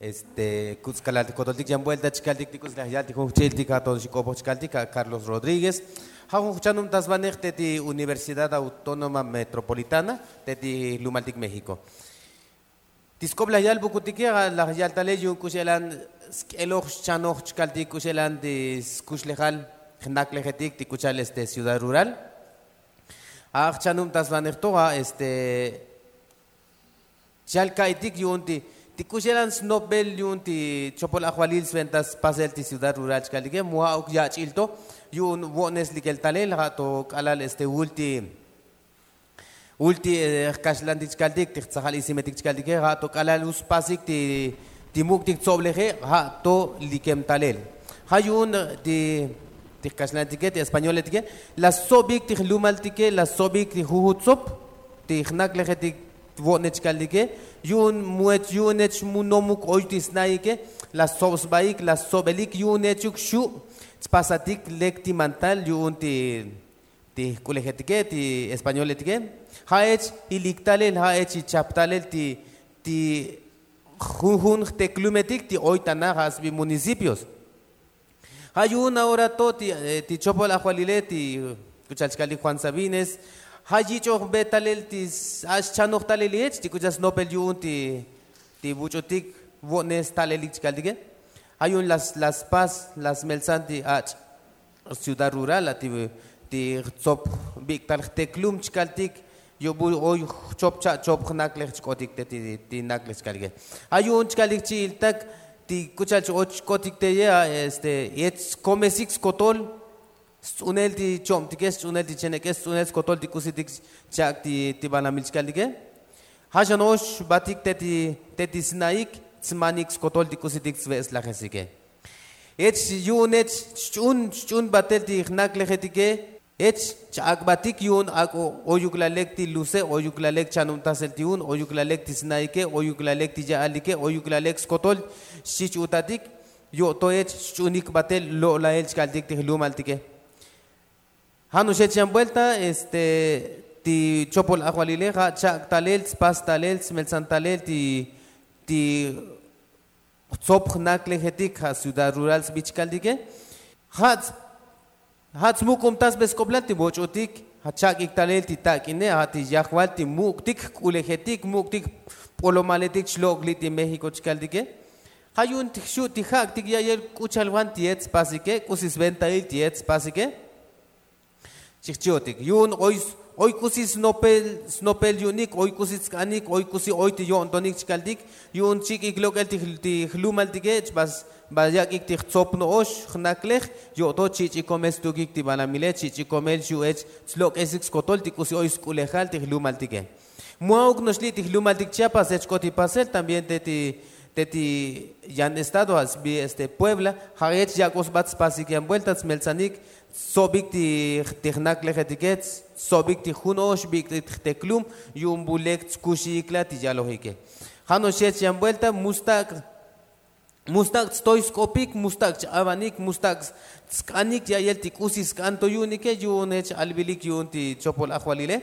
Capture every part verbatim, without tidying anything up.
Este kuts' kalal ti kotoltik yan buelta chkaltik ti k'uts laj yal ti jun jchi'iltik ja' to xik'opoj chkaltik ja' Carlos Rodríguez. Ja' jun jchanubtasbanej te ti universidad autónoma metropolitana te ti jlumaltik méxiko. Ti sk'op laj yalbukutike ja' laj yal talel yu'un k'u xe'elan sk'eloj xchanoj chkaltik k'u xe'elan ti skuxlejal jnaklejetik ti k'u cha'al este ciudad rural. Ja' jchanubtasbanej to ja' este chal ka'itik yu'un ti ti k'u xe'elan snopbel yu'un ti chopol ajvalil sventa spasel ti ciudad rural chkaltike mu ja'uk yach'il to yu'un vo'nes likel talel ja' to k'alal este vul ti vul ti jkaxlantik chkaltik ti jtsajal isimetik chkaltike ja' to k'alal vul spasik ti muk'tik tsobleje ja' to likem talel. Ja' yu'un ti jkaxlantike ti españoletike la stsobik ti jlumaltike la stsobik ti jujut tsob ti jnaklejetik vo'ne chkaltike yu'un mu ech yu'un ech mu nomuk oy ti sna'ike la stsob sbaik la stsobelik yu'un echuk xu' tspasatik lek ti mantal yu'un ti ti jk'ulejetike ti españoletike. Ja' ech ilik talel ja' ech ichap talel ti ti junjun jteklumetik ti oy tana ja' sbi municipios. Ja' yu'un ahora to ti chopol ajvalile ti k'u cha'al chkaltik juan sabines ja' yich'ojbe talel ti ja' xchanoj talel ech ti k'u cha'al snopel yu'un ti ti vuch'utik vo'ne stalelik chkaltike. Ja' yu'un la spas la smeltsan ti ach' ciudad rural la ti jtsob bik'tal jteklum chkaltik yo'bu oy jchop cha' chop jnaklej chk'otik te ti naklej chkaltike. Ja' yu'un chkaltik chi'iltak ti k'u cha'al ch-och chk'otik teye este yech komesik skotol sts'unel ti chobtike sts'unel ti chenek'e sts'unel skotol ti k'usitik chak' ti banamil chkaltike. Ja' xano'ox batik te ti sna'ik tsmanik skotol ti k'usitik tsve'slajesike. Ech yu'un ech xch'un xch'un batel ti jnaklejetike ech ch-ak'batik yu'un ak'o oyuk la lek ti luse oyuk la lek chanubtasel ti un oyuk la lek ti sna'ike oyuk la lek ti ya'alike oyuk la lek skotol xchich utatik yo'to ech xch'unik batel lo'lael chkaltik ti jlumaltike. Ja' no'ox ech yan buelta este ti chopol ajvalile ja' chak' talel tspas talel tsmeltsan talel ti ti jtsob jnaklejetik ja' ciudad rural sbi chkaltike. Ja' ja' tsmukumtasbe sk'oplal ti voch'utik ja' chak'ik talel ti tak'ine ja' ti yajval ti muk'tik jk'ulejetik muk'tik jpolomaletik chlok' li' ti méxiko chkaltike. Ja' yu'un ti jxu' ti jak'tik ya'yel k'u cha'al van ti yech spasike k'usi sventail ti yech spasike. Chijchi'otik yu'un oy k'usi snopel yu'unik oy k'usi tsk'anik oy k'usi oy ti yo'ntonik chkaltik yu'un chik'ik lok'el ti jlumaltike chba yak'ik ti jtsop no'ox jnaklej yo'to chich'ikomel stukik ti banamile chich'ikomel xu' ech slok'esik skotol ti k'usi oy sk'ulejal ti jlumaltike. Mu a'uk no'ox li' ti jlumaltik chiapas ech k'ot ti pasel también te ti yan estado ja' sbi este puebla ja' ech yak'o sbat spasik yan buelta tsmeltsanik tsobik ti jnaklejetike tsobik ti jun ox bik'tik jteklum yu'un bu lek tskuxiikla ti yalojike. Ja' no'ox ech yan buelta mu stak' mu stak' tstoy sk'opik mu stak' ch-avanik mu stak' tsk'anik ya'yel ti k'usi sk'an to yu'unike yu'un ech albilik yu'un ti chopol ajvalile.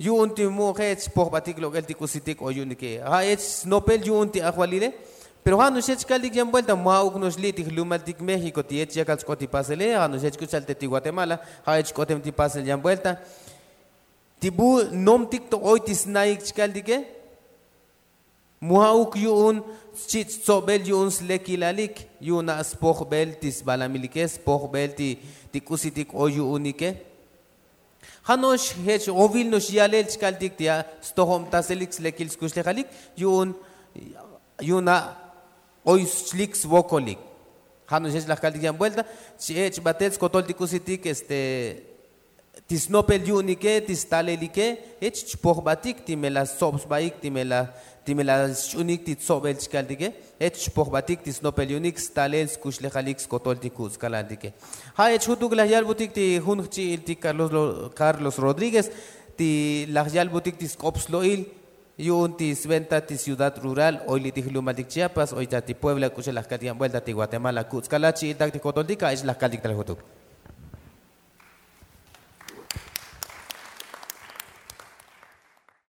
Yu'un ti mu' je' ech pojbatik lok'el ti k'usitik o yu'unike ja' ech snopel yu'un ti ajvalile. Pero ja' no'ox ech kaltik yan buelta mu a'uk no'ox li' ti jlumaltik méxiko ti ech yakal chk'ot ti pasele ja' no'ox ech k'u cha'al te ti guatemala ja' ech k'otem ti pasel yan buelta ti bu nomtik to oy ti sna'ik chkaltike. Mu a'uk yu'un chich' tsobel yu'un slekilalik yu'un a' spojbel ti sbalamilike spojbel ti k'usitik o yu'unike. Ja' no'ox jech ovil no'ox yalel chkaltik ti a' stojobtaselik slekil skuxlejalik yu'un yu'un a' oy xlik svokolik. Ja' no'ox jech laj kaltik yan buelta ch-ech' batel skotol ti k'usitik este ti snopel yu'unike ti stalelike jech chpojbatik ti me la stsob sbaik ti me la xch'unik ti tsobel chkaltike. Jech chpojbatik ti snopel yu'unik stalel skuxlejalik skotol ti kuts' kalaltike. Ja' jech jutuk laj yalbutik ti jun jchi'il ti carlos rodríguez ti laj yalbutik ti sk'op slo'il yu'un ti sventa ti ciudad rural oy li' ti jlumaltik chiapas oy ta ti puebla k'u xa laj kaltik yan buelta ti guatemala kuts' kalal chi'iltak ti jkotoltik ja' jech laj kaltik tal jutuk.